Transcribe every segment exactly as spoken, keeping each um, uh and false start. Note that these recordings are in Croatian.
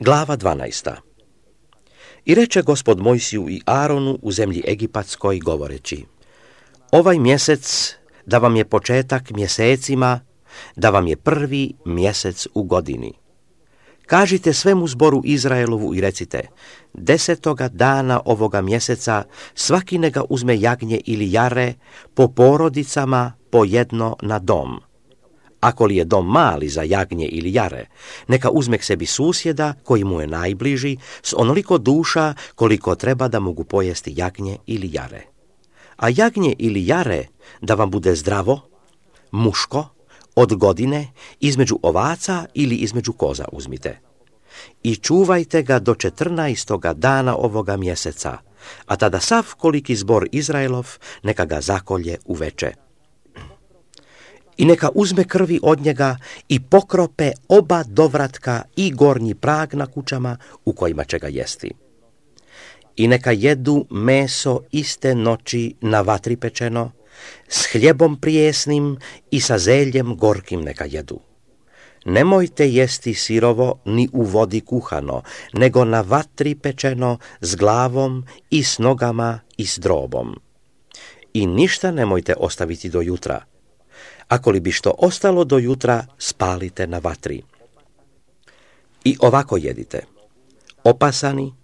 Glava dvanaesta. I reče Gospod Mojsiju i Aronu u zemlji Egipatskoj govoreći: ovaj mjesec da vam je početak mjesecima, da vam je prvi mjesec u godini. Kažite svemu zboru Izraelovu i recite: desetoga dana ovoga mjeseca svaki neka uzme jagnje ili jare po porodicama po jedno na dom. Ako li je dom mali za jagnje ili jare, neka uzme k sebi susjeda koji mu je najbliži s onoliko duša koliko treba da mogu pojesti jagnje ili jare. A jagnje ili jare da vam bude zdravo, muško, od godine, između ovaca ili između koza uzmite. I čuvajte ga do četrnaestoga dana ovoga mjeseca, a tada sav koliki zbor Izraelov neka ga zakolje uveče. I neka uzme krvi od njega i pokrope oba dovratka i gornji prag na kućama u kojima će ga jesti. I neka jedu meso iste noći na vatri pečeno, s hljebom prijesnim i sa zeljem gorkim neka jedu. Nemojte jesti sirovo ni u vodi kuhano, nego na vatri pečeno s glavom i s nogama i s drobom. I ništa nemojte ostaviti do jutra. Ako li bi što ostalo do jutra, spalite na vatri. I ovako jedite: opasani,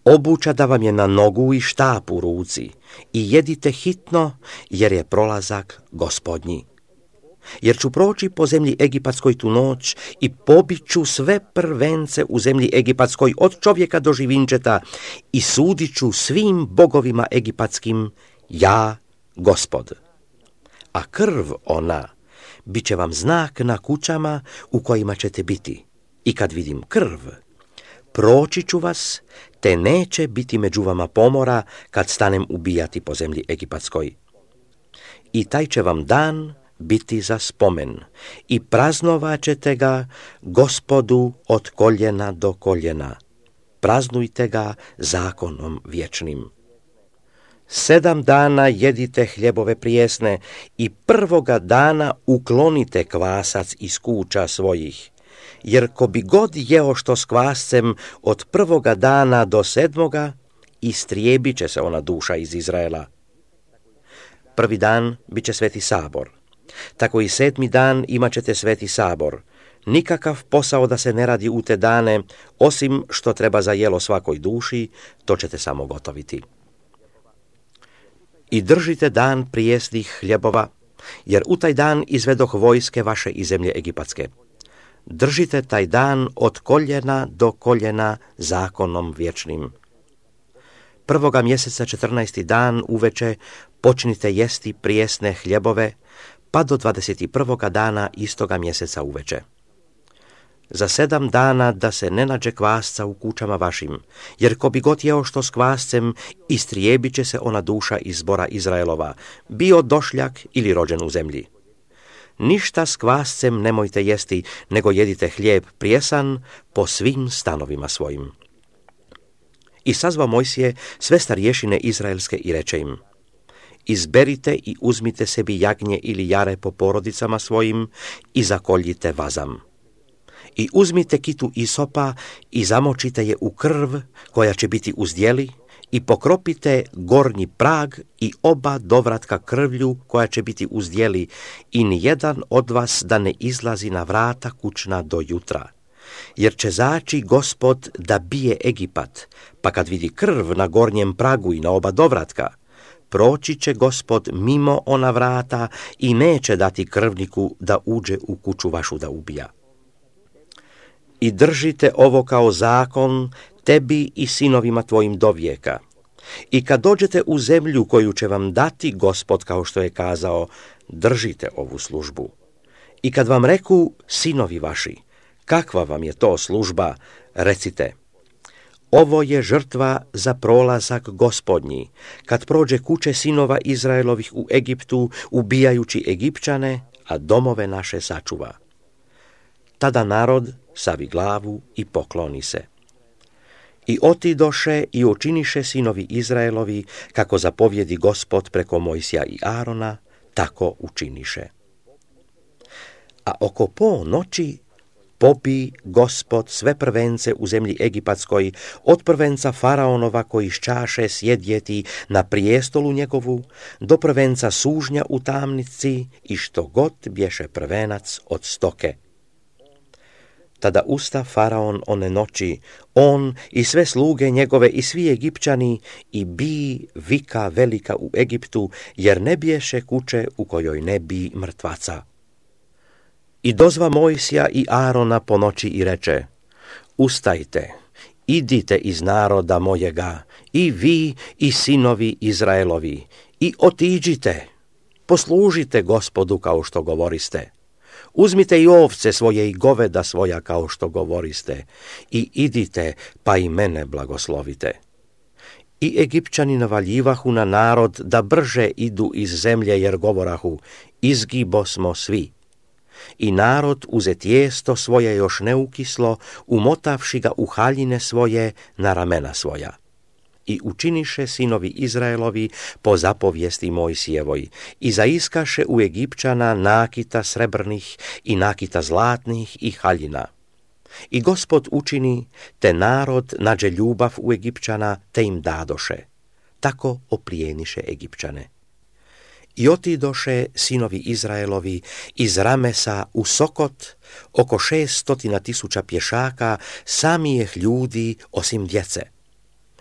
obuća da vam je na nogu i štap u ruci, i jedite hitno, jer je prolazak Gospodnji. Jer ću proći po zemlji Egipatskoj tu noć i pobit ću sve prvence u zemlji Egipatskoj od čovjeka do živinčeta i sudit ću svim bogovima egipatskim, ja, Gospod. A krv ona bit će vam znak na kućama u kojima ćete biti. I kad vidim krv, proći ću vas, te neće biti među vama pomora kad stanem ubijati po zemlji Egipatskoj. I taj će vam dan biti za spomen i praznovat ćete ga Gospodu od koljena do koljena. Praznujte ga zakonom vječnim. Sedam dana jedite hljebove prijesne i prvoga dana uklonite kvasac iz kuća svojih, jer ko bi god jeo što s kvascem od prvoga dana do sedmoga, istrijebit će se ona duša iz Izraela. Prvi dan bit će sveti sabor, tako i sedmi dan imat ćete sveti sabor. Nikakav posao da se ne radi u te dane, osim što treba za jelo svakoj duši, to ćete samo gotoviti. I držite dan prijesnih hljebova, jer u taj dan izvedoh vojske vaše iz zemlje Egipatske. Držite taj dan od koljena do koljena zakonom vječnim. Prvoga mjeseca četrnaesti dan uveče počnite jesti prijesne hljebove, pa do dvadeset prvoga dana istoga mjeseca uveče. Za sedam dana da se ne nađe kvasca u kućama vašim, jer ko bi god jeo što s kvascem, istrijebit će se ona duša iz zbora Izraelova, bio došljak ili rođen u zemlji. Ništa s kvascem nemojte jesti, nego jedite hljeb prijesan po svim stanovima svojim. I sazvao Mojsije sve starješine izraelske i reče im: izberite i uzmite sebi jagnje ili jare po porodicama svojim i zakoljite vazam. I uzmite kitu isopa i zamočite je u krv koja će biti uz djeli i pokropite gornji prag i oba dovratka krvlju koja će biti uz djeli i nijedan od vas da ne izlazi na vrata kućna do jutra. Jer će zaći Gospod da bije Egipat, pa kad vidi krv na gornjem pragu i na oba dovratka, proći će Gospod mimo ona vrata i neće dati krvniku da uđe u kuću vašu da ubija. I držite ovo kao zakon tebi i sinovima tvojim do vijeka. I kad dođete u zemlju koju će vam dati Gospod, kao što je kazao, držite ovu službu. I kad vam reku sinovi vaši, kakva vam je to služba, recite: ovo je žrtva za prolazak Gospodnji, kad prođe kuće sinova Izraelovih u Egiptu, ubijajući Egipćane, a domove naše sačuva. Tada narod savi glavu i pokloni se. I otidoše i učiniše sinovi Izraelovi, kako zapovjedi Gospod preko Mojsija i Arona, tako učiniše. A oko ponoći pobi Gospod sve prvence u zemlji Egipatskoj, od prvenca faraonova koji iz čaše sjedjeti na prijestolu njegovu, do prvenca sužnja u tamnici i što god bješe prvenac od stoke. Tada usta faraon one noći, on i sve sluge njegove i svi Egipćani, i bi vika velika u Egiptu, jer ne biješe kuće u kojoj ne bi mrtvaca. I dozva Mojsija i Arona po noći i reče: ustajte, idite iz naroda mojega, i vi i sinovi Izraelovi, i otiđite, poslužite Gospodu kao što govoriste. Uzmite i ovce svoje i goveda svoja kao što govoriste, i idite pa i mene blagoslovite. I Egipćani navaljivahu na narod da brže idu iz zemlje, jer govorahu: izgibosmo svi. I narod uze tijesto svoje još neukislo, umotavši ga u haljine svoje na ramena svoja. I učiniše sinovi Izraelovi po zapovijesti Mojsijevoj, i zaiskaše u Egipćana nakita srebrnih i nakita zlatnih i haljina. I Gospod učini, te narod nađe ljubav u Egipćana, te im dadoše. Tako oplijeniše Egipćane. I otidoše sinovi Izraelovi iz Ramesa u Sokot, oko šest stotina tisuća pješaka, samijeh ljudi osim djece.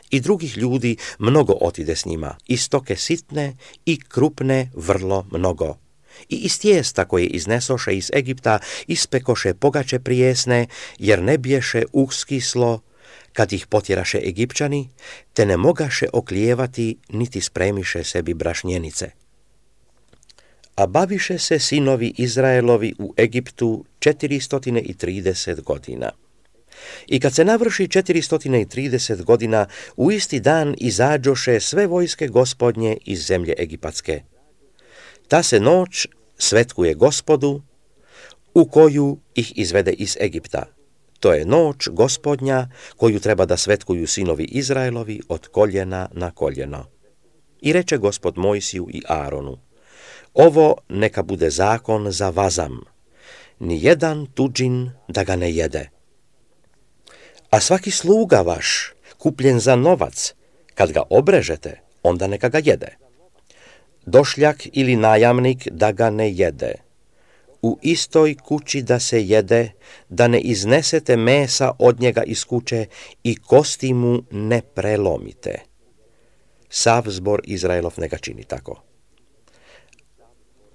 I drugih ljudi mnogo otide s njima, i stoke sitne i krupne vrlo mnogo. I iz tijesta koje iznesoše iz Egipta ispekoše pogače prijesne, jer ne biješe uskislo kad ih potjeraše Egipćani, te ne mogaše oklijevati niti spremiše sebi brašnjenice. A baviše se sinovi Izraelovi u Egiptu četiristo trideset godina. I kad se navrši četiristo trideset godina, u isti dan izađoše sve vojske Gospodnje iz zemlje Egipatske. Ta se noć svetkuje Gospodu, u koju ih izvede iz Egipta. To je noć Gospodnja, koju treba da svetkuju sinovi Izraelovi od koljena na koljeno. I reče Gospod Mojsiju i Aronu: ovo neka bude zakon za vazam, ni jedan tuđin da ga ne jede. A svaki sluga vaš, kupljen za novac, kad ga obrežete, onda neka ga jede. Došljak ili najamnik da ga ne jede. U istoj kući da se jede, da ne iznesete mesa od njega iz kuće i kosti mu ne prelomite. Sav zbor Izraelov neka čini tako.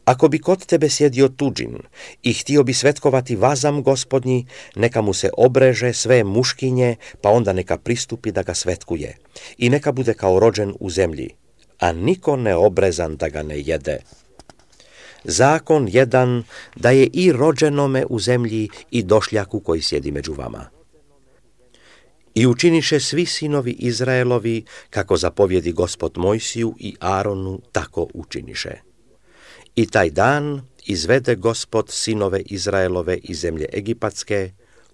Ako bi kod tebe sjedio tuđin i htio bi svetkovati vazam Gospodnji, neka mu se obreže sve muškinje, pa onda neka pristupi da ga svetkuje, i neka bude kao rođen u zemlji, a niko neobrezan da ga ne jede. Zakon jedan da je i rođenome u zemlji i došljaku koji sjedi među vama. I učiniše svi sinovi Izraelovi, kako zapovjedi Gospod Mojsiju i Aronu, tako učiniše. I taj dan izvede Gospod sinove Izraelove iz zemlje Egipatske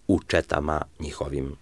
u četama njihovim.